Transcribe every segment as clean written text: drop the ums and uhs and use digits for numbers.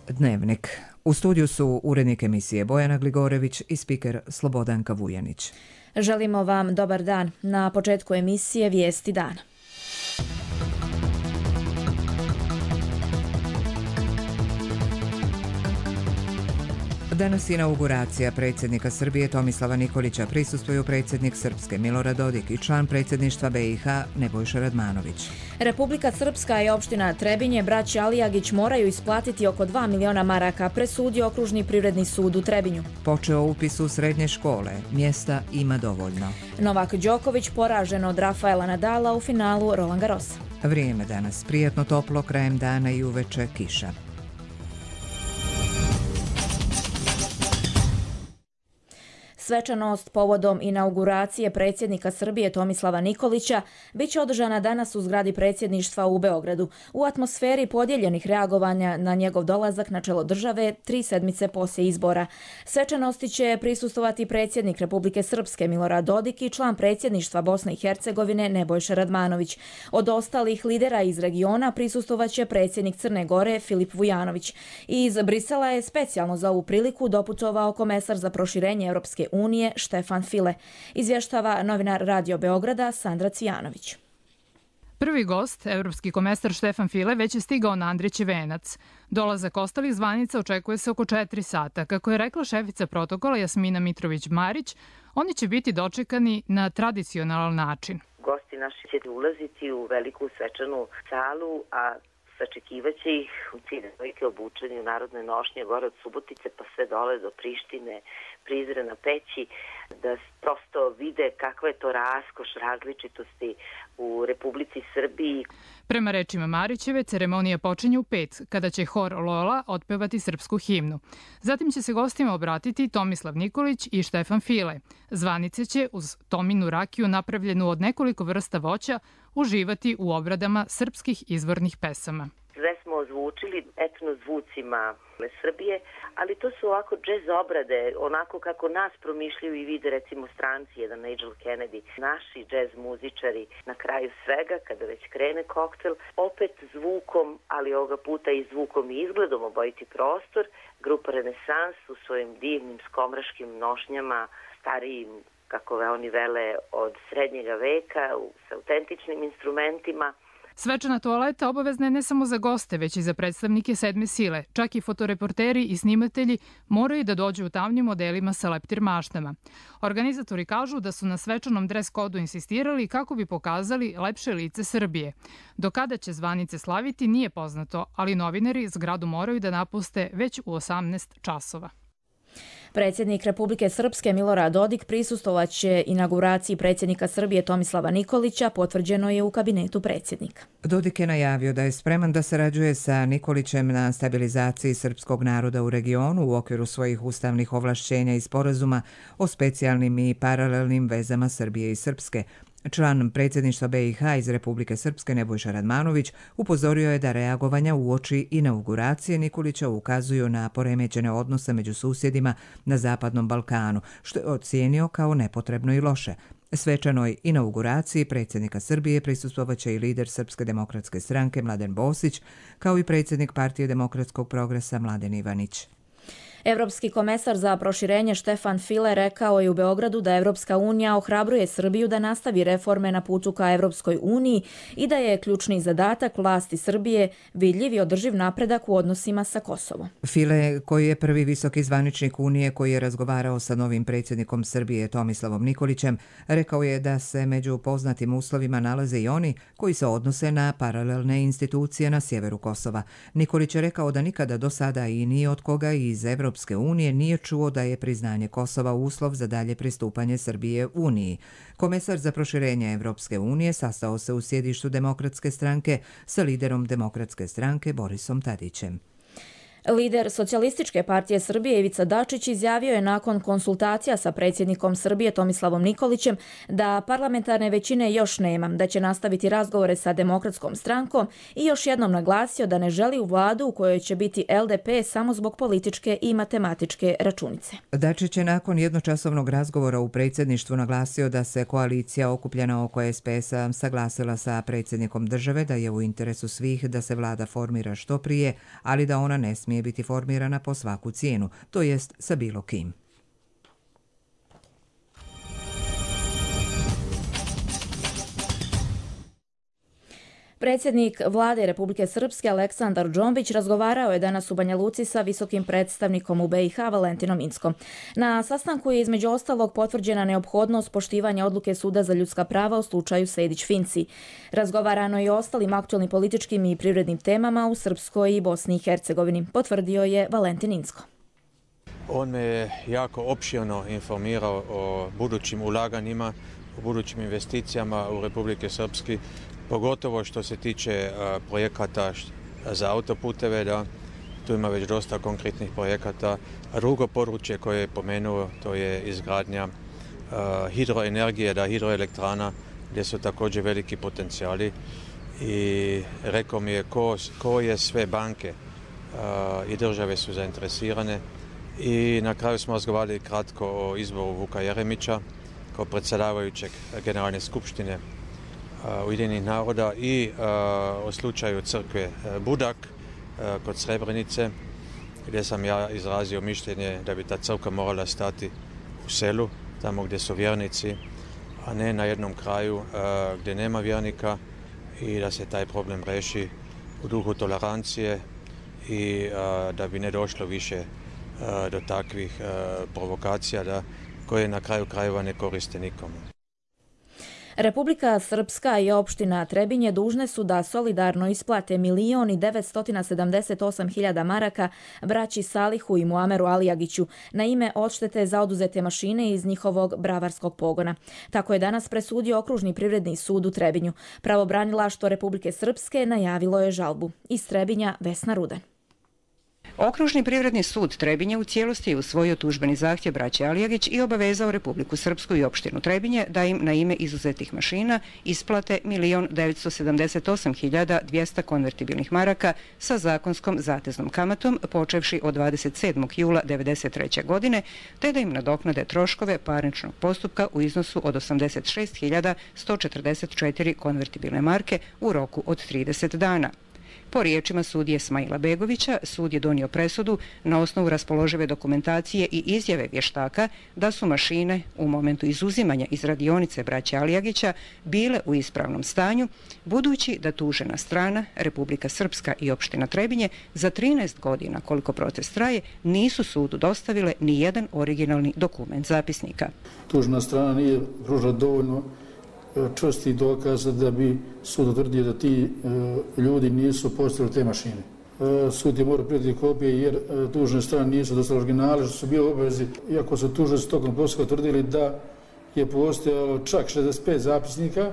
Dnevnik. U studiju su urednik emisije Bojana Gligorević i spiker Slobodanka Vujanić. Želimo vam dobar dan. Na početku emisije Vijesti dana. Danas je inauguracija predsjednika Srbije Tomislava Nikolića. Prisustvuju predsjednik Srpske Milorad Dodik i član predsjedništva BiH Nebojša Radmanović. Republika Srpska i opština Trebinje braća Alijagić moraju isplatiti oko 2 miliona maraka, presudio Okružni privredni sud u Trebinju. Počeo upis u srednje škole. Mjesta ima dovoljno. Novak Đoković poražen od Rafaela Nadala u finalu Roland Garrosa. Vrijeme danas prijatno toplo, krajem dana i uveče kiša. Svečanost povodom inauguracije predsjednika Srbije Tomislava Nikolića biće održana danas u zgradi predsjedništva u Beogradu, u atmosferi podijeljenih reagovanja na njegov dolazak na čelo države 3 sedmice poslije izbora. Svečanosti će prisustovati predsjednik Republike Srpske Milorad Dodik i član predsjedništva Bosne i Hercegovine Nebojša Radmanović. Od ostalih lidera iz regiona prisustovaće predsjednik Crne Gore Filip Vujanović. Iz Brisela je specijalno za ovu priliku doputovao komesar za proširenje Europske unije Štefan File. Izvještava novinar Radio Beograda Sandra Cvijanović. Prvi gost, evropski komesar Štefan File, već je stigao na Andrićev venac. Dolazak ostalih zvanica očekuje se oko 4 sata. Kako je rekla šefica protokola Jasmina Mitrović-Marić, oni će biti dočekani na tradicionalan način. Gosti naši će ulaziti u veliku svečanu salu, a sačekivaće ih u ciljne dojke obučeni u narodne nošnje gore od Subotice pa sve dole do Prištine, Prizrena, Peći, da prosto vide kakva je to raskoš različitosti u Republici Srbiji. Prema rečima Marićeve, ceremonija počinje u 5, kada će hor Lola otpevati srpsku himnu. Zatim će se gostima obratiti Tomislav Nikolić i Štefan File. Zvanice će uz Tominu rakiju napravljenu od nekoliko vrsta voća uživati u obradama srpskih izvornih pesama. Sve smo ozvučili etno zvucima Srbije, ali to su ovako džez obrade, onako kako nas promišljaju i vide recimo stranci, jedan Nigel Kennedy. Naši džez muzičari na kraju svega, kada već krene koktel, opet zvukom, ali ovoga puta i zvukom i izgledom obojiti prostor, grupa Renesans u svojim divnim skomraškim nošnjama, starijim, kako oni vele, od srednjega veka, sa autentičnim instrumentima. Svečana toaleta obavezna je ne samo za goste, već i za predstavnike sedme sile. Čak i fotoreporteri i snimatelji moraju da dođu u tamnim modelima sa leptir maštama. Organizatori kažu da su na svečanom dres kodu insistirali kako bi pokazali lepše lice Srbije. Do kada će zvanice slaviti nije poznato, ali novinari zgradu moraju da napuste već u 18 časova. Predsjednik Republike Srpske Milorad Dodik prisustvovaće inauguraciji predsjednika Srbije Tomislava Nikolića, potvrđeno je u kabinetu predsjednika. Dodik je najavio da je spreman da sarađuje sa Nikolićem na stabilizaciji srpskog naroda u regionu u okviru svojih ustavnih ovlašćenja i sporazuma o specijalnim i paralelnim vezama Srbije i Srpske. Član predsjedništva BiH iz Republike Srpske Nebojša Radmanović upozorio je da reagovanja uoči inauguracije Nikolića ukazuju na poremećene odnose među susjedima na Zapadnom Balkanu, što je ocijenio kao nepotrebno i loše. Svečanoj inauguraciji predsjednika Srbije prisustvovaće i lider Srpske demokratske stranke Mladen Bosić, kao i predsjednik Partije demokratskog progresa Mladen Ivanić. Evropski komesar za proširenje Štefan File rekao je u Beogradu da Evropska unija ohrabruje Srbiju da nastavi reforme na putu ka Evropskoj uniji i da je ključni zadatak vlasti Srbije vidljiv i održiv napredak u odnosima sa Kosovom. File, koji je prvi visoki zvaničnik Unije koji je razgovarao sa novim predsjednikom Srbije Tomislavom Nikolićem, rekao je da se među poznatim uslovima nalaze i oni koji se odnose na paralelne institucije na sjeveru Kosova. Nikolić je rekao da nikada do sada i ni od koga iz Evropske unije nije čuo da je priznanje Kosova uslov za dalje pristupanje Srbije Uniji. Komesar za proširenje Evropske unije sastao se u sjedištu Demokratske stranke sa liderom Demokratske stranke Borisom Tadićem. Lider Socijalističke partije Srbije Ivica Dačić izjavio je nakon konsultacija sa predsjednikom Srbije Tomislavom Nikolićem da parlamentarne većine još nema, da će nastaviti razgovore sa Demokratskom strankom i još jednom naglasio da ne želi u vladu u kojoj će biti LDP samo zbog političke i matematičke računice. Dačić je nakon jednočasovnog razgovora u predsjedništvu naglasio da se koalicija okupljena oko SPS-a saglasila sa predsjednikom države da je u interesu svih da se vlada formira što prije, ali da ona ne smije smije biti formirana po svaku cijenu, to jest sa bilo kim. Predsjednik vlade Republike Srpske Aleksandar Džombić razgovarao je danas u Banja Luci sa visokim predstavnikom u BiH Valentinom Inckom. Na sastanku je između ostalog potvrđena neophodnost poštivanja odluke Suda za ljudska prava u slučaju Sejdić-Finci. Razgovarano je i o ostalim aktualnim političkim i privrednim temama u Srpskoj i Bosni i Hercegovini, potvrdio je Valentin Incko. On me je jako opširno informirao o budućim ulaganjima, o budućim investicijama u Republike Srpske, pogotovo što se tiče projekata za autoputeve, da tu ima već dosta konkretnih projekata. Drugo područje koje je pomenuo, to je izgradnja hidroenergije, hidroelektrana, gdje su također veliki potencijali. I rekao mi je koje sve banke i države su zainteresirane. I na kraju smo razgovarali kratko o izboru Vuka Jeremića kao predsjedavajućeg Generalne skupštine Ujedinjenih naroda i o slučaju crkve Budak kod Srebrenice, gdje sam ja izrazio mišljenje da bi ta crkva morala stati u selu, tamo gdje su vjernici, a ne na jednom kraju gdje nema vjernika, i da se taj problem reši u duhu tolerancije i da bi ne došlo više do takvih provokacija koje na kraju krajeva ne koriste nikomu. Republika Srpska i opština Trebinje dužne su da solidarno isplate 1.978.000 maraka braći Salihu i Muameru Alijagiću na ime odštete za oduzete mašine iz njihovog bravarskog pogona. Tako je danas presudio Okružni privredni sud u Trebinju. Pravobranilaštvo Republike Srpske najavilo je žalbu. Iz Trebinja Vesna Rudan. Okružni privredni sud Trebinje u cijelosti je usvojio tužbeni zahtjev braće Alijagić i obavezao Republiku Srpsku i opštinu Trebinje da im na ime izuzetih mašina isplate 1.978.200 konvertibilnih maraka sa zakonskom zateznom kamatom počevši od 27. jula 1993. godine, te da im nadoknade troškove parničnog postupka u iznosu od 86.144 konvertibilne marke u roku od 30 dana. Po riječima sudije Smaila Begovića, sud je donio presudu na osnovu raspoložive dokumentacije i izjave vještaka da su mašine u momentu izuzimanja iz radionice braće Alijagića bile u ispravnom stanju, budući da tužena strana, Republika Srpska i opština Trebinje, za 13 godina koliko protest traje, nisu sudu dostavile ni jedan originalni dokument zapisnika. Tužna strana nije pružila dovoljno čvrstih dokaza da bi sud utvrdio da ti ljudi nisu postavili te mašine. Sud je morao prijeti kopije jer tužne strane nisu dostavile originale, što su bili obavezi, iako su tužnici tokom postupka utvrdili da je postojalo čak 65 zapisnika.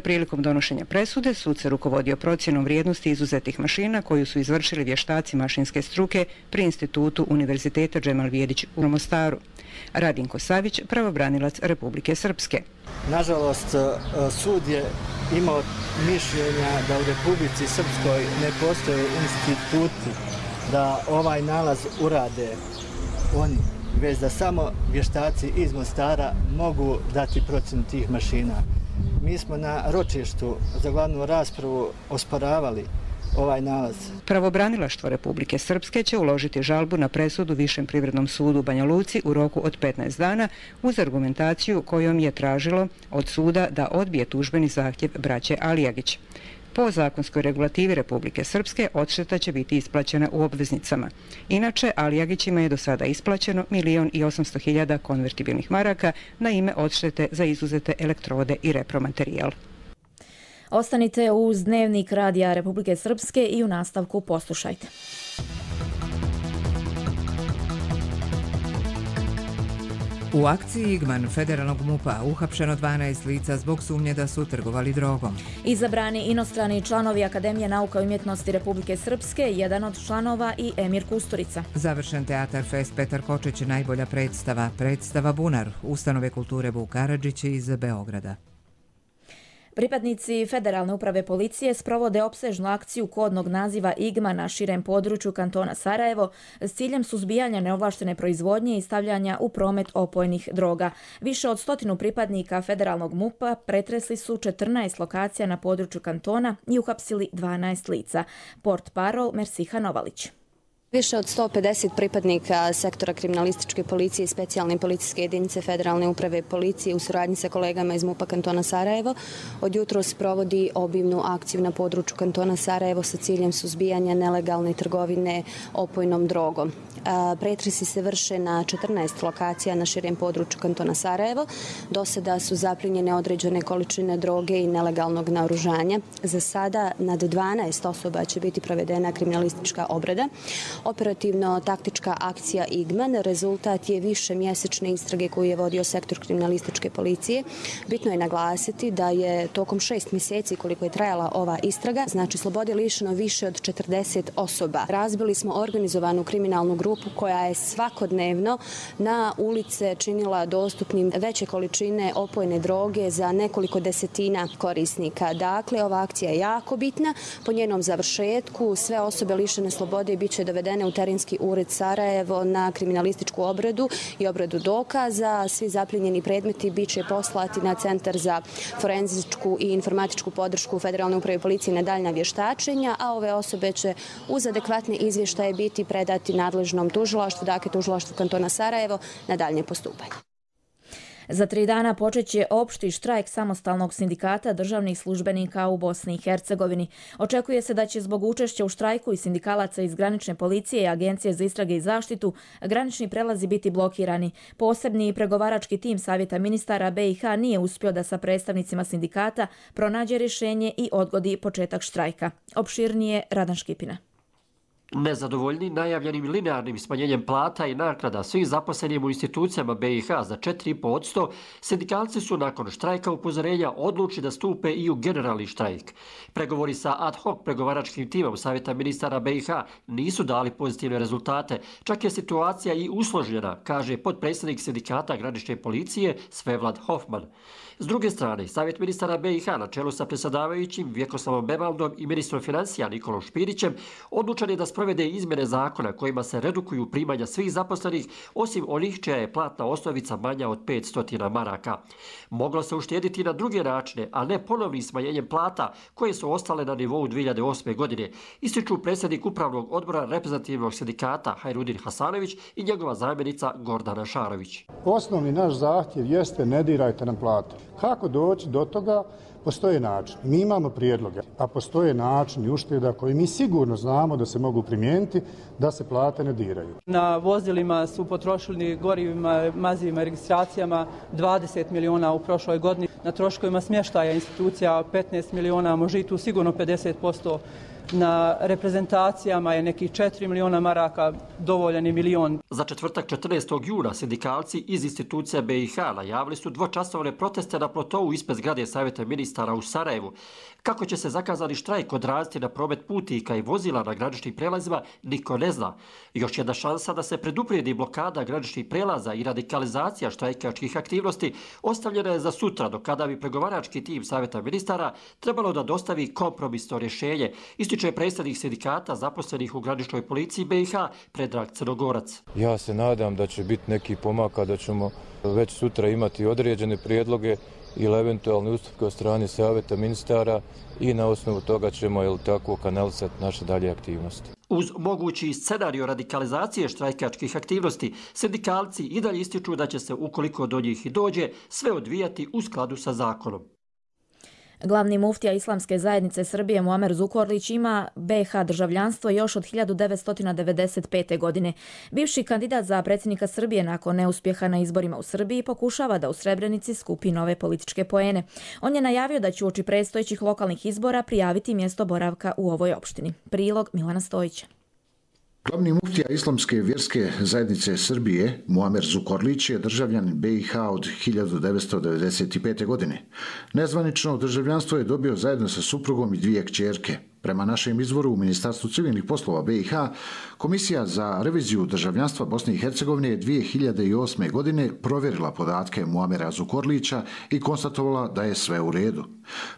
Prilikom donošenja presude, sud se rukovodio procjenom vrijednosti izuzetih mašina koju su izvršili vještaci mašinske struke pri Institutu Univerziteta Džemal Vjedić u Mostaru. Radinko Savić, pravobranilac Republike Srpske. Nažalost, sud je imao mišljenja da u Republici Srpskoj ne postoje instituti da ovaj nalaz urade oni, već da samo vještaci iz Mostara mogu dati procjenu tih mašina. Mi smo na ročištu za glavnu raspravu osporavali ovaj nalaz. Pravobranilaštvo Republike Srpske će uložiti žalbu na presudu Višem privrednom sudu u Banja Luci u roku od 15 dana uz argumentaciju kojom je tražilo od suda da odbije tužbeni zahtjev braće Alijagić. Po zakonskoj regulativi Republike Srpske odšteta će biti isplaćena u obveznicama. Inače, Alijagićima je do sada isplaćeno 1.800.000 konvertibilnih maraka na ime odštete za izuzete elektrode i repromaterijal. Ostanite uz Dnevnik Radija Republike Srpske i u nastavku poslušajte. U akciji Igman federalnog MUP-a uhapšeno 12 lica zbog sumnje da su trgovali drogom. Izabrani inostrani članovi Akademije nauka i umjetnosti Republike Srpske, jedan od članova i Emir Kusturica. Završen Teatar Fest Petar Kočić, najbolja predstava Bunar, Ustanove kulture Vuk Karadžić iz Beograda. Pripadnici Federalne uprave policije sprovode opsežnu akciju kodnog naziva IGMA na širem području kantona Sarajevo s ciljem suzbijanja neovlaštene proizvodnje i stavljanja u promet opojnih droga. Više od 100 pripadnika Federalnog MUP-a pretresli su 14 lokacija na području kantona i uhapsili 12 lica. Portparol Mersiha Novalić. Više od 150 pripadnika sektora kriminalističke policije i specijalne policijske jedinice Federalne uprave policije u suradnji sa kolegama iz MUP-a kantona Sarajevo od jutros provodi obimnu akciju na području kantona Sarajevo sa ciljem suzbijanja nelegalne trgovine opojnom drogom. Pretresi se vrše na 14 lokacija na širem području kantona Sarajevo. Do sada su zaplinjene određene količine droge i nelegalnog naoružanja. Za sada nad 12 osoba će biti provedena kriminalistička obrada. Operativno-taktička akcija IGMAN rezultat je više mjesečne istrage koju je vodio sektor kriminalističke policije. Bitno je naglasiti da je tokom 6 mjeseci koliko je trajala ova istraga, znači slobode lišeno više od 40 osoba. Razbili smo organizovanu kriminalnu grupu koja je svakodnevno na ulice činila dostupnim veće količine opojne droge za nekoliko desetina korisnika. Dakle, ova akcija je jako bitna. Po njenom završetku sve osobe lišene slobode bit će dovedene u terenski ured Sarajevo na kriminalističku obradu i obradu dokaza. Svi zapljenjeni predmeti bit će poslati na Centar za forenzičku i informatičku podršku Federalne uprave policije na daljnja vještačenja, a ove osobe će uz adekvatne izvještaje biti predati nadležnom tužilaštvu, dakle tužilaštvu kantona Sarajevo, na daljnje postupanje. Za 3 dana počet će opšti štrajk samostalnog sindikata državnih službenika u Bosni i Hercegovini. Očekuje se da će zbog učešća u štrajku i sindikalaca iz granične policije i Agencije za istrage i zaštitu granični prelazi biti blokirani. Posebni pregovarački tim Savjeta ministara BiH nije uspio da sa predstavnicima sindikata pronađe rješenje i odgodi početak štrajka. Opširnije Radan Škipina. Nezadovoljni najavljenim linearnim smanjenjem plata i naknada svim zaposlenim u institucijama BiH za 4,5%, sindikalci su nakon štrajka upozorenja odlučili da stupe i u generalni štrajk. Pregovori sa ad hoc pregovaračkim timom Savjeta ministara BiH nisu dali pozitivne rezultate, čak je situacija i usložnjena, kaže potpredsjednik sindikata granične policije Svevlad Hofman. S druge strane, Savjet ministara BiH na čelu sa predsjedavajućim Vjekoslavom Bevaldom i ministrom financija Nikolom Špirićem odlučen je da sprovede izmjene zakona kojima se redukuju primanja svih zaposlenih, osim onih čija je platna osnovica manja od 500 maraka. Moglo se uštediti na druge načine, a ne ponovnim smanjenjem plata koje su ostale na nivou 2008. godine, ističu predsjednik upravnog odbora reprezentativnog sindikata Hajrudin Hasanović i njegova zamjenica Gordana Šarović. Osnovni naš zahtjev jeste ne dirajte nam plate. Kako doći do toga? Postoje način. Mi imamo prijedloge, a postoje način i ušteda koji mi sigurno znamo da se mogu primijeniti da se plate ne diraju. Na vozilima su potrošili gorivima, mazivima i registracijama 20 miliona u prošloj godini. Na troškovima smještaja institucija 15 miliona, može i tu sigurno 50%. Na reprezentacijama je nekih 4 miliona maraka, dovoljan je milion. Za četvrtak 14. juna sindikalci iz institucija BiH najavili su dvočasovne proteste na plotovu ispred zgrade Savjeta ministara u Sarajevu. Kako će se zakazani štrajk odraziti na promet putnika i vozila na graničnim prelazima, niko ne zna. Još jedna šansa da se preduprijedi blokada graničnih prelaza i radikalizacija štrajkačkih aktivnosti ostavljena je za sutra, do kada bi pregovarački tim Savjeta ministara trebalo da dostavi kompromisno rješenje, ističe predsjednik sindikata zaposlenih u graničnoj policiji BiH Predrag Crnogorac. Ja se nadam da će biti neki pomaka, da ćemo već sutra imati određene prijedloge ili eventualne ustupke od strane Savjeta ministara i na osnovu toga ćemo tako kanalisati naše dalje aktivnosti. Uz mogući scenario radikalizacije štrajkačkih aktivnosti, sindikalci i dalje ističu da će se, ukoliko do njih i dođe, sve odvijati u skladu sa zakonom. Glavni muftija Islamske zajednice Srbije Muamer Zukorlić ima BiH državljanstvo još od 1995. godine. Bivši kandidat za predsjednika Srbije nakon neuspjeha na izborima u Srbiji pokušava da u Srebrenici skupi nove političke poene. On je najavio da će uoči predstojećih lokalnih izbora prijaviti mjesto boravka u ovoj opštini. Prilog Milana Stojića. Glavni muftija Islamske vjerske zajednice Srbije, Muamer Zukorlić, je državljanin BiH od 1995. godine. Nezvanično državljanstvo je dobio zajedno sa suprugom i 2 kćerke. Prema našem izvoru u Ministarstvu civilnih poslova BiH, Komisija za reviziju državljanstva Bosne i Hercegovine 2008. godine provjerila podatke Muamera Zukorlića i konstatovala da je sve u redu.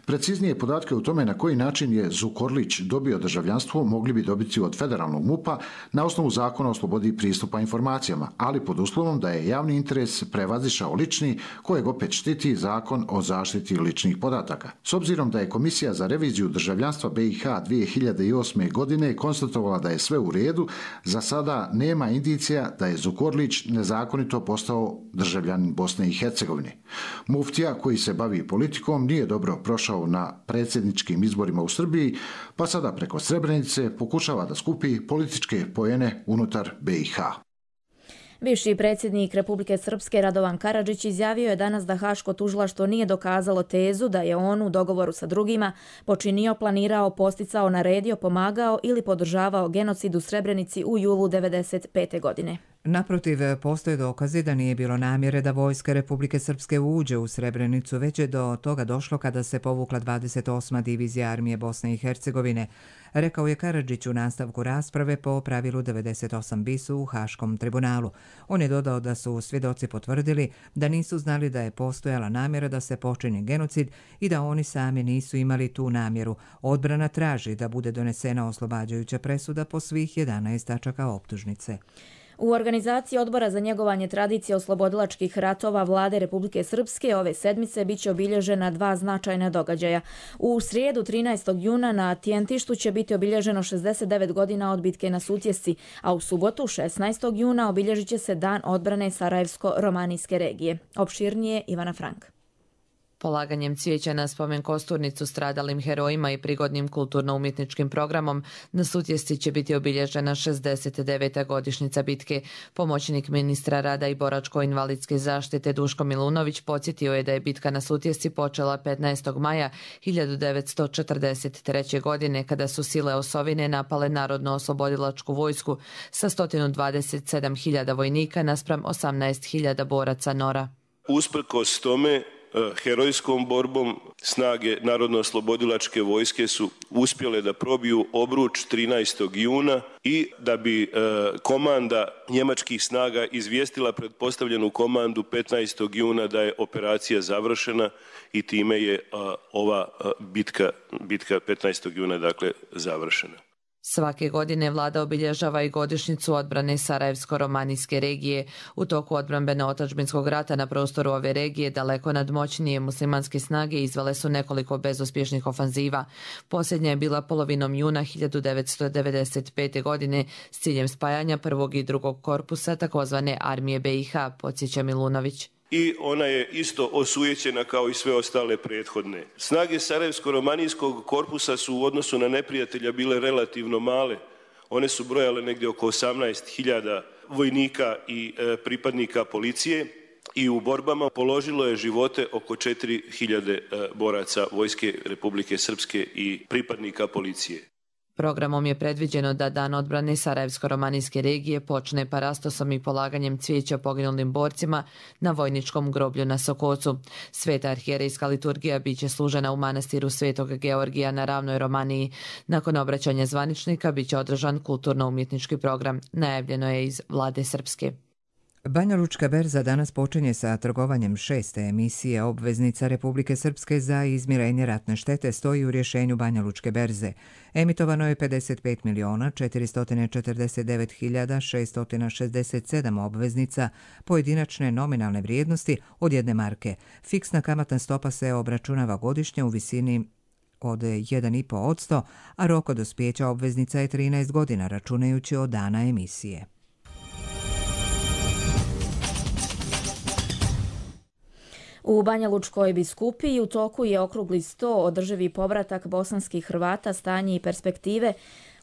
Preciznije podatke o tome na koji način je Zukorlić dobio državljanstvo mogli bi dobiti od federalnog MUP-a na osnovu Zakona o slobodi pristupa informacijama, ali pod uslovom da je javni interes prevazišao lični, kojeg opet štiti Zakon o zaštiti ličnih podataka. S obzirom da je Komisija za reviziju državljanstva BiH 2008. godine konstatovala da je sve u redu, za sada nema indicija da je Zukorlić nezakonito postao državljanin Bosne i Hercegovine. Muftija koji se bavi politikom nije dobro prošao na predsjedničkim izborima u Srbiji, pa sada preko Srebrenice pokušava da skupi političke poene unutar BiH. Bivši predsjednik Republike Srpske Radovan Karadžić izjavio je danas da Haško tužilaštvo nije dokazalo tezu da je on u dogovoru sa drugima počinio, planirao, posticao, naredio, pomagao ili podržavao genocid u Srebrenici u julu 1995. godine. Naprotiv, postoje dokazi da nije bilo namjere da vojska Republike Srpske uđe u Srebrenicu, već je do toga došlo kada se povukla 28. divizija armije Bosne i Hercegovine, rekao je Karadžić u nastavku rasprave po pravilu 98 bis u Haškom tribunalu. On je dodao da su svjedoci potvrdili da nisu znali da je postojala namjera da se počini genocid i da oni sami nisu imali tu namjeru. Odbrana traži da bude donesena oslobađajuća presuda po svih 11 tačaka optužnice. U organizaciji Odbora za njegovanje tradicije oslobodilačkih ratova Vlade Republike Srpske ove sedmice biće obilježena dva značajna događaja. U srijedu 13. juna na Tijentištu će biti obilježeno 69 godina od bitke na Sutjesci, a u subotu 16. juna obilježit će se Dan odbrane Sarajevsko-romanijske regije. Opširnije Ivana Frank. Polaganjem cvijeća na spomen kosturnicu stradalim herojima i prigodnim kulturno-umjetničkim programom na Sutjesci će biti obilježena 69. godišnjica bitke. Pomoćnik ministra rada i boračko-invalidske zaštite Duško Milunović podsjetio je da je bitka na Sutjesci počela 15. maja 1943. godine kada su sile osovine napale Narodno-oslobodilačku vojsku sa 127.000 vojnika naspram 18.000 boraca NOR-a. Usprkos tome, herojskom borbom snage Narodno-oslobodilačke vojske su uspjele da probiju obruč 13. juna i da bi komanda njemačkih snaga izvijestila pretpostavljenu komandu 15. juna da je operacija završena i time je ova bitka 15. juna dakle završena. Svake godine vlada obilježava i godišnjicu odbrane Sarajevsko-romanijske regije. U toku odbrambeno-otadžbinskog rata na prostoru ove regije daleko nadmoćnije muslimanske snage izvele su nekoliko bezuspješnih ofanziva. Posljednja je bila polovinom juna 1995. godine s ciljem spajanja prvog i drugog korpusa takozvane armije BiH, podsjeća Milunović. I ona je isto osujećena kao i sve ostale prethodne. Snage Sarajevsko-romanijskog korpusa su u odnosu na neprijatelja bile relativno male. One su brojale negdje oko 18.000 vojnika i pripadnika policije i u borbama položilo je živote oko 4.000 boraca vojske Republike Srpske i pripadnika policije. Programom je predviđeno da Dan odbrane Sarajevsko-romanijske regije počne parastosom i polaganjem cvijeća poginulim borcima na vojničkom groblju na Sokocu. Sveta arhijerejska liturgija biće služena u manastiru Svetog Georgija na ravnoj Romaniji. Nakon obraćanja zvaničnika biće održan kulturno-umjetnički program, najavljeno je iz Vlade Srpske. Banja Lučka berza danas počinje sa trgovanjem 6. emisije obveznica Republike Srpske za izmirenje ratne štete, stoji u rješenju Banja Lučke berze. Emitovano je 55.049.667 obveznica pojedinačne nominalne vrijednosti od 1 marke. Fiksna kamatna stopa se obračunava godišnje u visini od 1,5%, a rok od dospijeća obveznica je 13 godina, računajući od dana emisije. U Banja Lučkoj biskupiji u toku je okrugli sto održivi povratak bosanskih Hrvata, stanje i perspektive.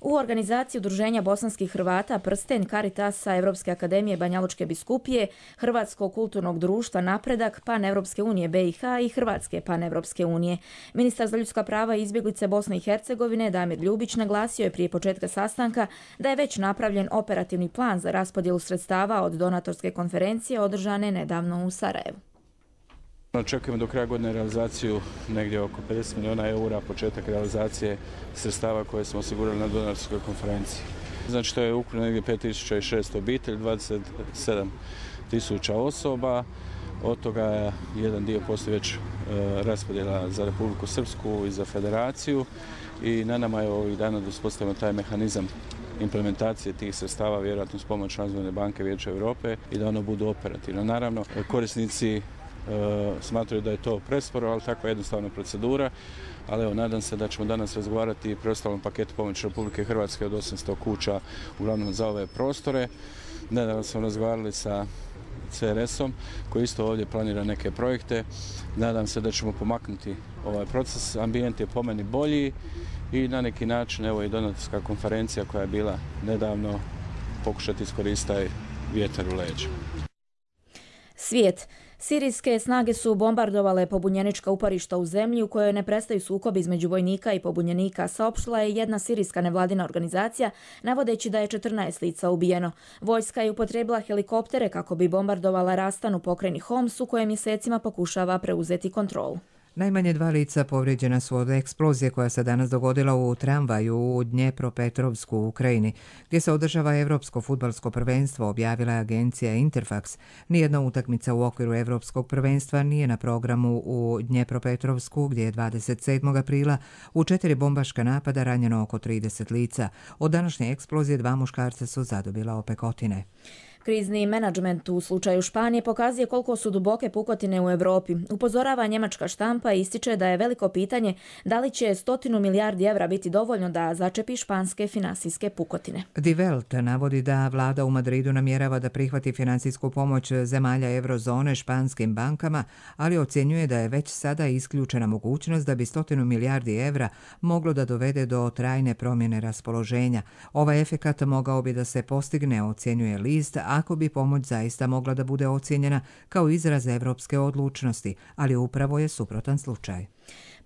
U organizaciji Udruženja bosanskih Hrvata Prsten, Caritasa, Evropske akademije Banja Lučke biskupije, Hrvatskog kulturnog društva Napredak, Pan-Evropske unije BiH i Hrvatske Pan-Evropske unije. Ministar za ljudska prava i izbjeglice Bosne i Hercegovine Damir Ljubić naglasio je prije početka sastanka da je već napravljen operativni plan za raspodjelu sredstava od donatorske konferencije održane nedavno u Sarajevu. Očekujemo do kraja godine realizaciju negdje oko 50 milijuna eura, početak realizacije sredstava koje smo osigurali na donatorskoj konferenciji. Znači to je ukupno negdje 5600 obitelji, 27.000 osoba, od toga jedan dio postoji već raspodjela za Republiku Srpsku i za Federaciju i na nama je ovih dana da uspostavimo taj mehanizam implementacije tih sredstava, vjerojatno s pomoć Razvojne banke Vijeća Europe i da ono budu operativno. Naravno, korisnici smatraju da je to presporo, ali takva jednostavna procedura. ali evo, nadam se da ćemo danas razgovarati i preostalom paketu pomoći Republike Hrvatske od 800 kuća, uglavnom za ove prostore. Nedavno smo razgovarali sa CRS-om koji isto ovdje planira neke projekte. Nadam se da ćemo pomaknuti ovaj proces. Ambijent je po meni bolji i na neki način, evo i donatorska konferencija koja je bila nedavno, pokušati iskoristiti taj vjetar u leđa. Svijet. Sirijske snage su bombardovale pobunjenička uporišta u zemlji u kojoj ne prestaju sukobi između vojnika i pobunjenika, saopštila je jedna sirijska nevladina organizacija, navodeći da je 14 lica ubijeno. Vojska je upotrijebila helikoptere kako bi bombardovala Rastan u pokrajini Homs, u kojem mjesecima pokušava preuzeti kontrolu. Najmanje 2 lica povrijeđena su od eksplozije koja se danas dogodila u tramvaju u Dnjepropetrovsku u Ukrajini, gdje se održava Evropsko fudbalsko prvenstvo, objavila je agencija Interfax. Nijedna utakmica u okviru Evropskog prvenstva nije na programu u Dnjepropetrovsku, gdje je 27. aprila u 4 bombaška napada ranjeno oko 30 lica. Od današnje eksplozije 2 muškarca su zadobila opekotine. Krizni menadžment u slučaju Španije pokazuje koliko su duboke pukotine u Europi. Upozorava njemačka štampa i ističe da je veliko pitanje da li će 100 milijardi evra biti dovoljno da začepi španske finansijske pukotine. Die Welt navodi da vlada u Madridu namjerava da prihvati financijsku pomoć zemalja eurozone španskim bankama, ali ocjenjuje da je već sada isključena mogućnost da bi 100 milijardi evra moglo da dovede do trajne promjene raspoloženja. Ovaj efekat mogao bi da se postigne, ocjenjuje list, ako bi pomoć zaista mogla da bude ocijenjena kao izraz evropske odlučnosti, ali upravo je suprotan slučaj.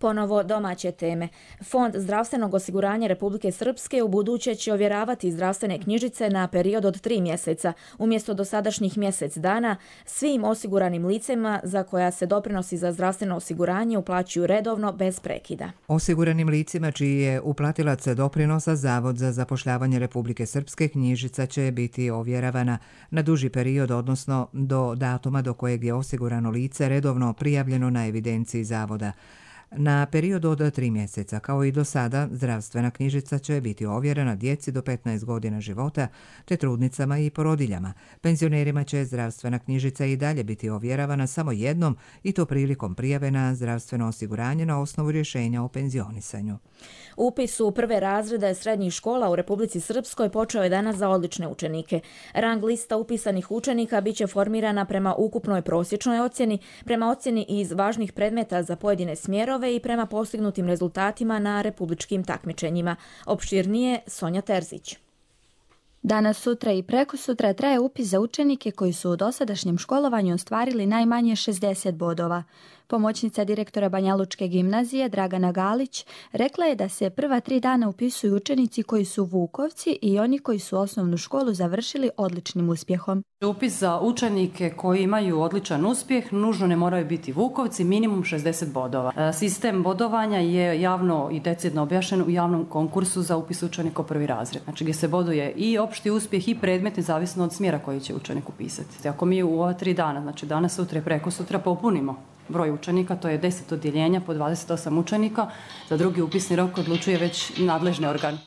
Ponovo domaće teme. Fond zdravstvenog osiguranja Republike Srpske u buduće će ovjeravati zdravstvene knjižice na period od 3 mjeseca, umjesto dosadašnjih mjesec dana, svim osiguranim licima za koja se doprinosi za zdravstveno osiguranje uplaćuju redovno bez prekida. Osiguranim licima čiji je uplatilac doprinosa Zavod za zapošljavanje Republike Srpske knjižica će biti ovjeravana na duži period, odnosno do datuma do kojeg je osigurano lice redovno prijavljeno na evidenciji Zavoda. Na period od 3 mjeseca, kao i do sada, zdravstvena knjižica će biti ovjerena djeci do 15 godina života, te trudnicama i porodiljama. Penzionerima će zdravstvena knjižica i dalje biti ovjeravana samo jednom, i to prilikom prijave na zdravstveno osiguranje na osnovu rješenja o penzionisanju. Upis u prve razrede srednjih škola u Republici Srpskoj počeo je danas za odlične učenike. Rang lista upisanih učenika biće formirana prema ukupnoj prosječnoj ocjeni, prema ocjeni iz važnih predmeta za pojedine smjerove i prema postignutim rezultatima na republičkim takmičenjima. Opširnije Sonja Terzić. Danas, sutra i prekosutra traje upis za učenike koji su u dosadašnjem školovanju ostvarili najmanje 60 bodova. Pomoćnica direktora Banjalučke gimnazije Dragana Galić rekla je da se prva 3 dana upisuju učenici koji su Vukovci i oni koji su osnovnu školu završili odličnim uspjehom. Upis za učenike koji imaju odličan uspjeh nužno ne moraju biti Vukovci, minimum 60 bodova. Sistem bodovanja je javno i decidno objašnjen u javnom konkursu za upis učenika u prvi razred. Znači gdje se boduje i opšti uspjeh i predmetni zavisno od smjera koji će učenik upisati. Ako mi u ova 3 dana, znači danas, sutra i prekosutra popunimo broj učenika, to je 10 odjeljenja po 28 učenika, za drugi upisni rok odlučuje već nadležni organ.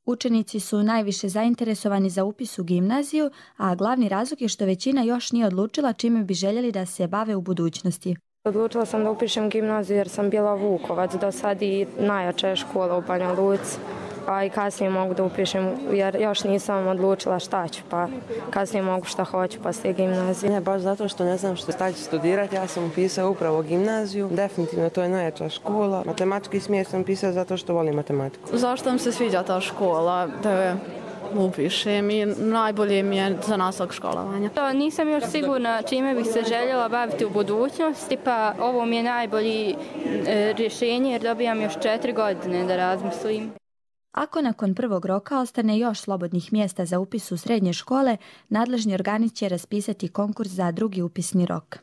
Učenici su najviše zainteresovani za upis u gimnaziju, a glavni razlog je što većina još nije odlučila čime bi željeli da se bave u budućnosti. Odlučila sam da upišem gimnaziju jer sam bila Vukovac, do sad i najjača je škola u Banja Luci, a i kasnije mogu da upišem jer još nisam odlučila šta ću, pa kasnije mogu šta hoću poslije gimnazije. Ne, baš zato što ne znam šta ću studirati, ja sam upisao upravo gimnaziju, definitivno to je najjača škola. Matematički smjer sam upisao zato što volim matematiku. Zašto mi se sviđa ta škola, da upišem i najbolje mi je za nastavak školovanja. Nisam još sigurna čime bih se željela baviti u budućnosti, pa ovo mi je najbolje rješenje jer dobijam još 4 godine da razmislim. Ako nakon prvog roka ostane još slobodnih mjesta za upis u srednje škole, nadležni organi će raspisati konkurs za drugi upisni rok.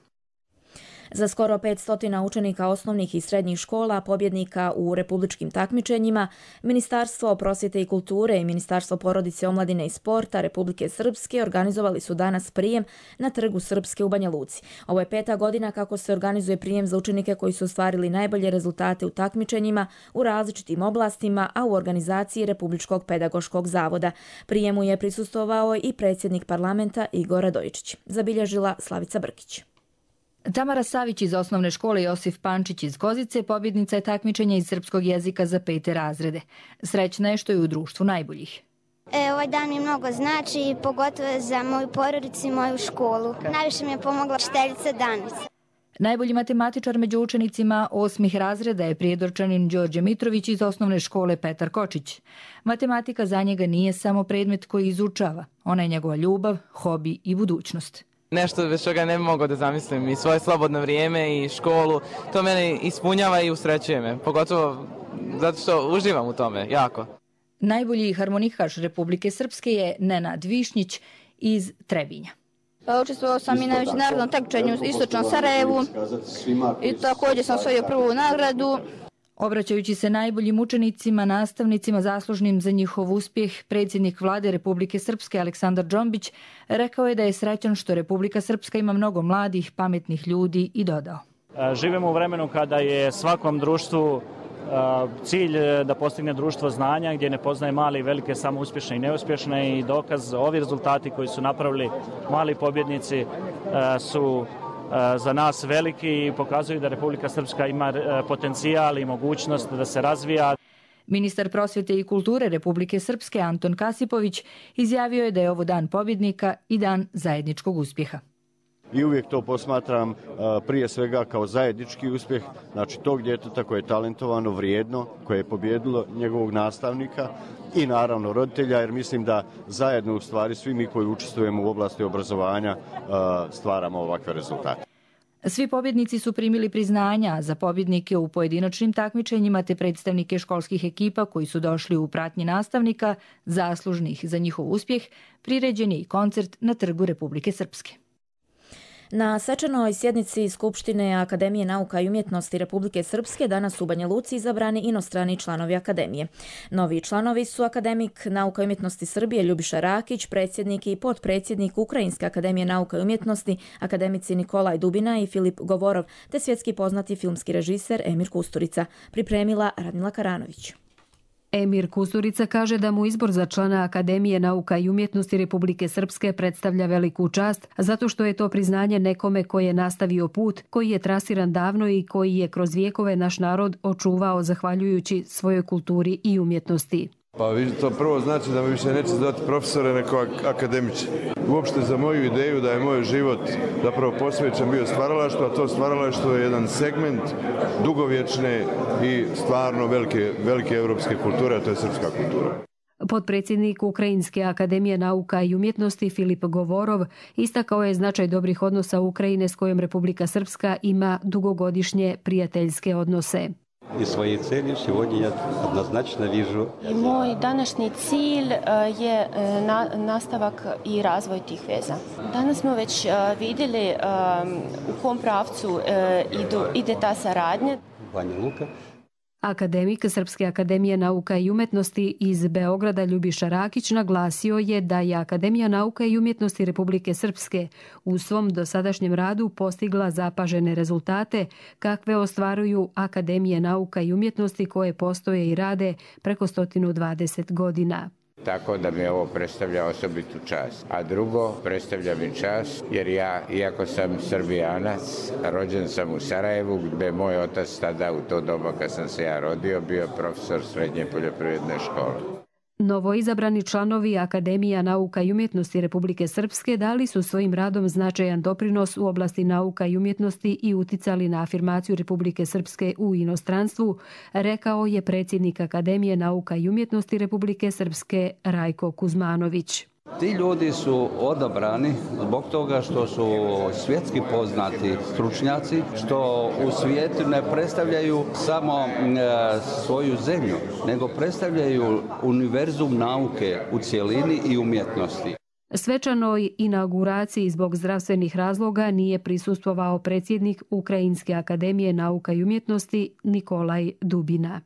Za skoro 500 učenika osnovnih i srednjih škola, pobjednika u republičkim takmičenjima, Ministarstvo prosvjete i kulture i Ministarstvo porodice, omladine i sporta Republike Srpske organizovali su danas prijem na Trgu Srpske u Banja Luci. Ovo je 5. godina kako se organizuje prijem za učenike koji su ostvarili najbolje rezultate u takmičenjima u različitim oblastima, a u organizaciji Republičkog pedagoškog zavoda. Prijemu je prisustvovao i predsjednik parlamenta Igor Radojičić. Zabilježila Slavica Brkić. Tamara Savić iz osnovne škole Josif Pančić iz Kozice pobjednica je takmičenja iz srpskog jezika za 5. razrede. Srećna je što je u društvu najboljih. Ovaj dan mi mnogo znači, pogotovo za moju porodicu i moju školu. Najviše mi je pomogla učiteljica Danica. Najbolji matematičar među učenicima 8. razreda je Prijedorčanin Đorđe Mitrović iz osnovne škole Petar Kočić. Matematika za njega nije samo predmet koji izučava. Ona je njegova ljubav, hobi i budućnost. Nešto bez čega ne bi mogao da zamislim i svoje slobodno vrijeme i školu. To mene ispunjava i usrećuje me, pogotovo zato što uživam u tome, jako. Najbolji harmonikaš Republike Srpske je Nenad Višnjić iz Trebinja. Učestvovao sam i na međunarodnom takmičenju u Istočnom Sarajevu i također sam osvojio prvu nagradu. Obraćajući se najboljim učenicima, nastavnicima zaslužnim za njihov uspjeh, predsjednik Vlade Republike Srpske Aleksandar Džombić rekao je da je srećan što Republika Srpska ima mnogo mladih, pametnih ljudi i dodao. Živimo u vremenu kada je svakom društvu cilj da postigne društvo znanja gdje ne poznaje male i velike, samo uspješne i neuspješne, i dokaz ovi rezultati koji su napravili mali pobjednici su za nas veliki i pokazuju da Republika Srpska ima potencijal i mogućnost da se razvija. Ministar prosvjete i kulture Republike Srpske Anton Kasipović izjavio je da je ovo dan pobjednika i dan zajedničkog uspjeha. I uvijek to posmatram prije svega kao zajednički uspjeh, znači tog djeteta koje je talentovano, vrijedno, koje je pobjedilo njegovog nastavnika i naravno roditelja, jer mislim da zajedno u stvari svi mi koji učestvujemo u oblasti obrazovanja stvaramo ovakve rezultate. Svi pobjednici su primili priznanja, a za pobjednike u pojedinačnim takmičenjima te predstavnike školskih ekipa koji su došli u pratnji nastavnika, zaslužnih za njihov uspjeh, priređen je i koncert na Trgu Republike Srpske. Na svečanoj sjednici Skupštine Akademije nauka i umjetnosti Republike Srpske danas u Banja Luci izabrani inostrani članovi Akademije. Novi članovi su akademik nauka i umjetnosti Srbije Ljubiša Rakić, predsjednik i potpredsjednik Ukrajinske akademije nauka i umjetnosti, akademici Nikolaj Dubina i Filip Govorov, te svjetski poznati filmski režiser Emir Kusturica. Pripremila Radmila Karanović. Emir Kusturica kaže da mu izbor za člana Akademije nauka i umjetnosti Republike Srpske predstavlja veliku čast, zato što je to priznanje nekome koji je nastavio put, koji je trasiran davno i koji je kroz vijekove naš narod očuvao zahvaljujući svojoj kulturi i umjetnosti. Pa to prvo znači da me više neće zvati profesore nego akademiče. Uopšte za moju ideju da je moj život zapravo posvećen bio stvaralaštvu, a to stvaralaštvo je jedan segment dugovječne i stvarno velike evropske kulture, a to je srpska kultura. Potpredsjednik Ukrajinske akademije nauka i umjetnosti Filip Govorov istakao je značaj dobrih odnosa Ukrajine s kojom Republika Srpska ima dugogodišnje prijateljske odnose. I svoje cilje сегодня я однозначно вижу. Moj današnji cilj je nastavak i razvoj tih veza. Danas smo već vidjeli u kom pravcu ide ta saradnja. Banja Luka. Akademik Srpske akademije nauka i umjetnosti iz Beograda Ljubiša Rakić naglasio je da je Akademija nauka i umjetnosti Republike Srpske u svom dosadašnjem radu postigla zapažene rezultate kakve ostvaruju Akademije nauka i umjetnosti koje postoje i rade preko 120 godina. Tako da mi ovo predstavlja osobitu čast. A drugo, predstavlja mi čast jer ja, iako sam Srbijanac, rođen sam u Sarajevu gdje je moj otac tada u to doba kad sam se ja rodio bio profesor srednje poljoprivredne škole. Novoizabrani članovi Akademija nauka i umjetnosti Republike Srpske dali su svojim radom značajan doprinos u oblasti nauka i umjetnosti i uticali na afirmaciju Republike Srpske u inostranstvu, rekao je predsjednik Akademije nauka i umjetnosti Republike Srpske Rajko Kuzmanović. Ti ljudi su odabrani zbog toga što su svjetski poznati stručnjaci, što u svijetu ne predstavljaju samo svoju zemlju, nego predstavljaju univerzum nauke u cjelini i umjetnosti. Svečanoj inauguraciji zbog zdravstvenih razloga nije prisustvovao predsjednik Ukrajinske akademije nauka i umjetnosti Nikolaj Dubina.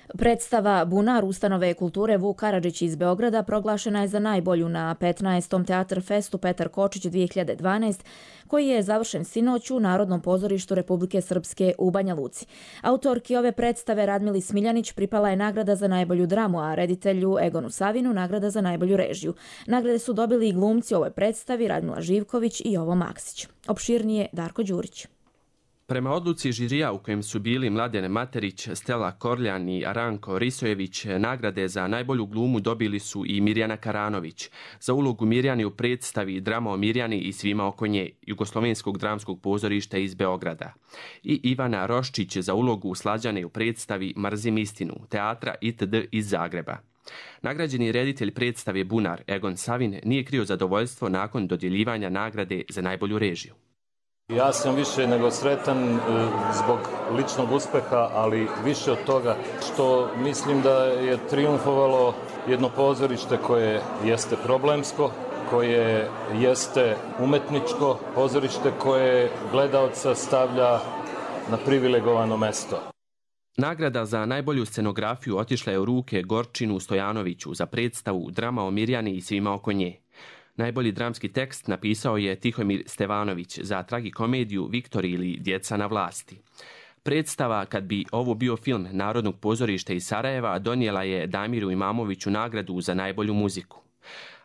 Predstava Bunar ustanove kulture Vuk Karadžić iz Beograda proglašena je za najbolju na 15. Teatr Festu Petar Kočić 2012, koji je završen sinoć u Narodnom pozorištu Republike Srpske u Banja Luci. Autorki ove predstave Radmili Smiljanić pripala je nagrada za najbolju dramu, a reditelju Egonu Savinu nagrada za najbolju režiju. Nagrade su dobili i glumci u ovoj predstavi Radmila Živković i Jovo Maksić. Opširnije Darko Đurić. Prema odluci žirija u kojem su bili Mladen Materić, Stela Korljan i Aranko Risojević, nagrade za najbolju glumu dobili su i Mirjana Karanović za ulogu Mirjani u predstavi Drama o Mirjani i svima oko nje, Jugoslovenskog dramskog pozorišta iz Beograda, i Ivana Roščić za ulogu Slađane u predstavi Mrzim istinu, teatra ITD iz Zagreba. Nagrađeni reditelj predstave Bunar Egon Savin nije krio zadovoljstvo nakon dodjeljivanja nagrade za najbolju režiju. Ja sam više nego sretan zbog ličnog uspeha, ali više od toga što mislim da je trijumfovalo jedno pozorište koje jeste problemsko, koje jeste umetničko pozorište koje gledaoca stavlja na privilegovano mesto. Nagrada za najbolju scenografiju otišla je u ruke Gorčinu Stojanoviću za predstavu Drama o Mirjani i svima oko nje. Najbolji dramski tekst napisao je Tihomir Stevanović za tragikomediju Viktor ili Djeca na vlasti. Predstava Kad bi ovo bio film Narodnog pozorišta iz Sarajeva donijela je Damiru Imamoviću nagradu za najbolju muziku.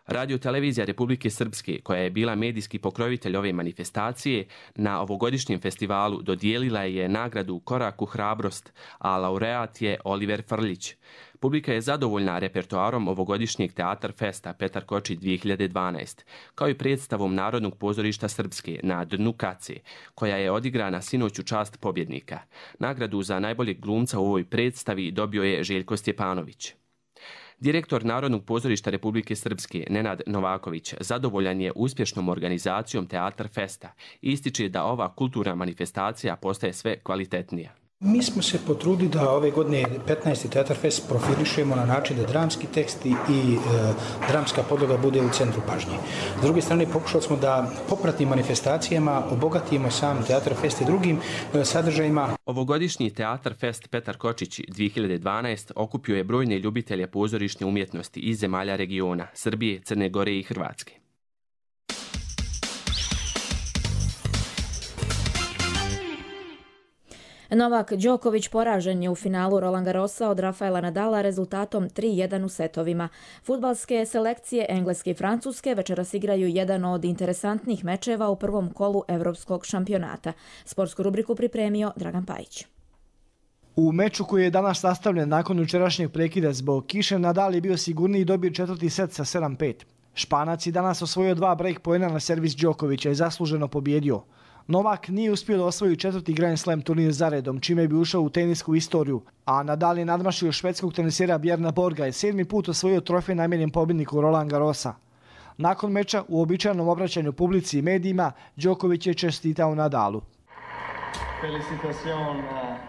Radio-televizija Republike Srpske, koja je bila medijski pokrovitelj ove manifestacije, na ovogodišnjem festivalu dodijelila je nagradu Korak u hrabrost, a laureat je Oliver Frljić. Publika je zadovoljna repertoarom ovogodišnjeg Teatar Festa Petar Kočić 2012, kao i predstavom Narodnog pozorišta Srpske Na dnu kace, koja je odigrana sinoć u čast pobjednika. Nagradu za najboljeg glumca u ovoj predstavi dobio je Željko Stjepanović. Direktor Narodnog pozorišta Republike Srpske, Nenad Novaković, zadovoljan je uspješnom organizacijom Teatar Festa i ističe da ova kulturna manifestacija postaje sve kvalitetnija. Mi smo se potrudili da ove godine 15. Teatar Fest profilišemo na način da dramski tekst i dramska podloga bude u centru pažnje. S druge strane, pokušali smo da popratnim manifestacijama obogatimo sam Teatar Fest i drugim sadržajima. Ovogodišnji Teatar Fest Petar Kočić 2012 okupio je brojne ljubitelje pozorišne umjetnosti iz zemalja regiona, Srbije, Crne Gore i Hrvatske. Novak Đoković poražen je u finalu Roland Garrosa od Rafaela Nadala rezultatom 3-1 u setovima. Fudbalske selekcije Engleske i Francuske večeras igraju jedan od interesantnih mečeva u prvom kolu Evropskog šampionata. Sportsku rubriku pripremio Dragan Pajić. U meču koji je danas nastavljen nakon jučerašnjeg prekida zbog kiše, Nadal je bio sigurniji i dobio četvrti set sa 7-5. Španac je danas osvojio 2 break poena na servis Đokovića i zasluženo pobjedio. Novak nije uspio da osvoji četvrti Grand Slam turnir zaredom, čime bi ušao u tenisku istoriju, a Nadal je nadmašio švedskog tenisera Bjerna Borga i 7. put osvojio trofej namijenjen pobjedniku Roland Garrosa. Nakon meča, u običajnom obraćanju publici i medijima, Đoković je čestitao Nadalu. Felicitacion,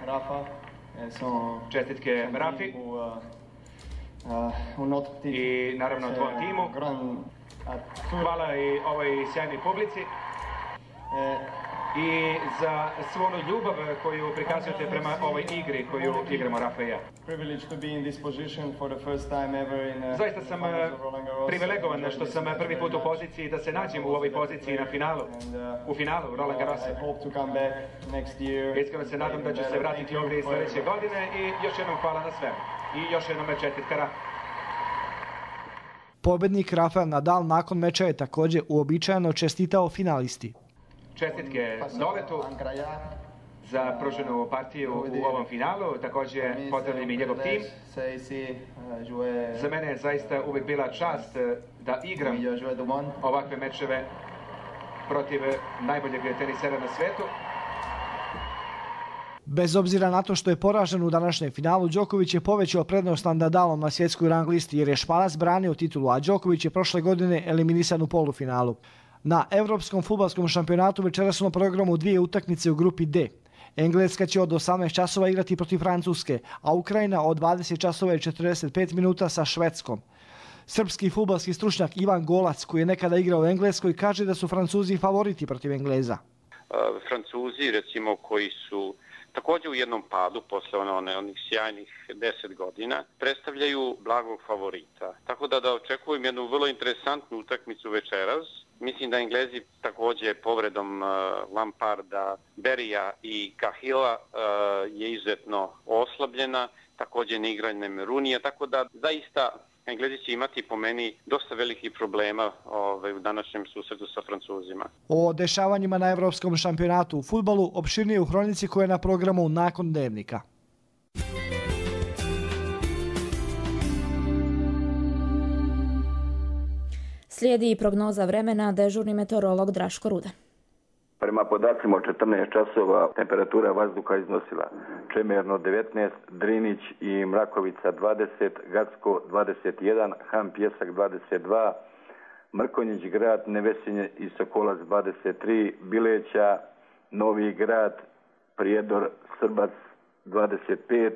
Rafa. Čestitke Rafi i naravno tvojom timu. Hvala i ovoj sjajnoj publici i za svu onu ljubav koju prikazujete prema ovoj igri koju igramo Rafa i ja. Zaista sam privilegovan što sam prvi put u poziciji da se nađem u ovoj poziciji na finalu, u finalu Roland Garrosa. Iskreno se nadam da ću se vratiti ovdje i sljedeće godine i još jednom hvala na svemu. I još jednom čestitka Rafa. Pobjednik Rafael Nadal nakon meča je također uobičajeno čestitao finalisti. Čestitke Novetu za pruženu partiju u ovom finalu, također pozdravljam i njegov tim. Za mene je zaista uvijek bila čast da igram ovakve mečeve protiv najboljeg tenisera na svijetu. Bez obzira na to što je poražen u današnjem finalu, Đoković je povećao prednost nad Nadalom na svjetskoj rang listi jer je Španac branio titulu, a Đoković je prošle godine eliminisan u polufinalu. Na Evropskom fudbalskom šampionatu večeras su na programu 2 utakmice u grupi D. Engleska će od 18 časova igrati protiv Francuske, a Ukrajina od 20 časova i 45 minuta sa Švedskom. Srpski fudbalski stručnjak Ivan Golac, koji je nekada igrao u Engleskoj, kaže da su Francuzi favoriti protiv Engleza. Francuzi, recimo, koji su također u jednom padu posle onih sjajnih 10 godina, predstavljaju blagog favorita. Tako da očekujem jednu vrlo interesantnu utakmicu večeras. Mislim da Englezi također povredom Lamparda, Berija i Cahilla je izuzetno oslabljena, također neigranjem Rooneyja, tako da zaista Englezi će imati po meni dosta velikih problema u današnjem susretu sa Francuzima. O dešavanjima na Evropskom šampionatu u fudbalu opširnije u hronici koja je na programu nakon dnevnika. Slijedi i prognoza vremena, dežurni meteorolog Draško Ruda. Prema podacima od 14 časova temperatura vazduha iznosila Čemerno 19, Drinić i Mrakovica 20, Gacko 21, Han Pjesak 22, Mrkonjić grad, Nevesinje i Sokolac 23, Bileća, Novi grad, Prijedor, Srbac 25,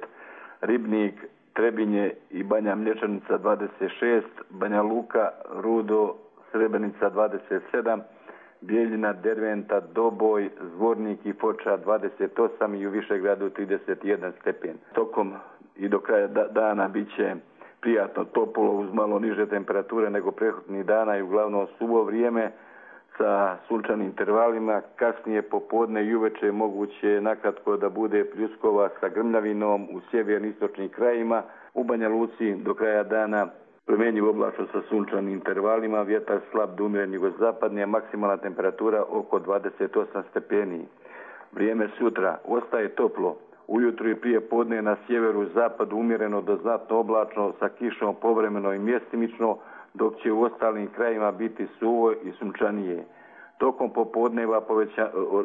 Ribnik, Trebinje i Banja Mlječanica 26, Banja Luka, Rudo, Srebrenica 27, Bijeljina, Derventa, Doboj, Zvornik i Foča 28 i u Višegradu 31 stepen. Tokom i do kraja dana bit će prijatno toplo uz malo niže temperature nego prethodnih dana i uglavnom suvo vrijeme sa sunčanim intervalima. Kasnije popodne i uveče moguće nakratko da bude pljuskova sa grmljavinom u sjeverno-istočnim krajima. U Banja Luci do kraja dana promjenjivo oblačno sa sunčanim intervalima, vjetar slab do umjeren jugozapadni, a maksimalna temperatura oko 28 stepeni. Vrijeme sutra ostaje toplo. Ujutro i prije podne na sjeveru i zapadu umjereno do znatno oblačno sa kišom povremeno i mjestimično, dok će u ostalim krajima biti suvo i sunčanije. Tokom popodneva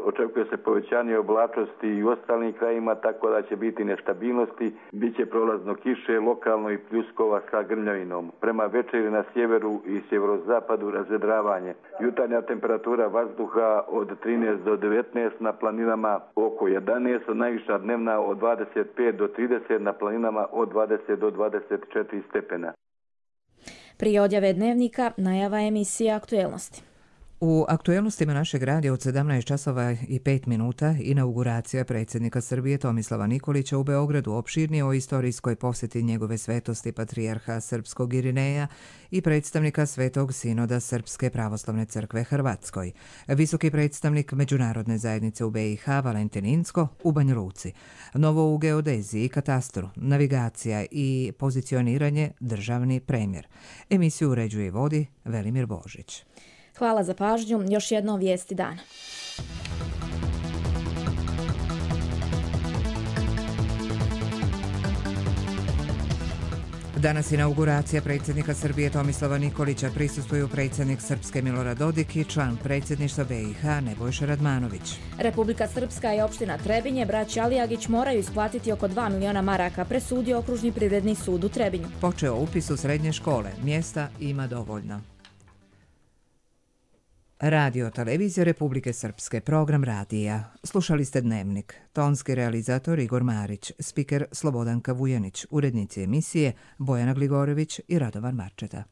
očekuje se povećanje oblačnosti i u ostalim krajima, tako da će biti nestabilnosti, bit će prolazno kiše, lokalno i pljuskova sa grmljavinom. Prema večeri na sjeveru i sjeverozapadu razvedravanje. Jutarnja temperatura vazduha od 13 do 19, na planinama oko 11, najviša dnevna od 25 do 30, na planinama od 20 do 24 stepena. Prije odjave dnevnika najava emisije Aktuelnosti. U aktuelnostima našeg radija od 17 časova i 5 minuta inauguracija predsjednika Srbije Tomislava Nikolića u Beogradu, opširnije o istorijskoj posjeti njegove svetosti patrijarha srpskog Irineja i predstavnika Svetog sinoda Srpske pravoslavne crkve Hrvatskoj, visoki predstavnik Međunarodne zajednice u BiH Valentin Incko u Banja Luci, novo u geodeziji i katastru, navigacija i pozicioniranje državni premjer. Emisiju uređuje i vodi Velimir Božić. Hvala za pažnju. Još jednom vijesti dana. Danas inauguracija predsjednika Srbije Tomislava Nikolića, prisustvuju predsjednik Srpske Milorad Dodik i član predsjedništva BiH Nebojša Radmanović. Republika Srpska i opština Trebinje, braća Alijagić moraju isplatiti oko 2 miliona maraka, presudio Okružni privredni sud u Trebinju. Počeo upis u srednje škole, mjesta ima dovoljno. Radio Televizija Republike Srpske, program radija. Slušali ste Dnevnik. Tonski realizator Igor Marić, spiker Slobodanka Vujanić, urednici emisije Bojana Gligorević i Radovan Marčeta.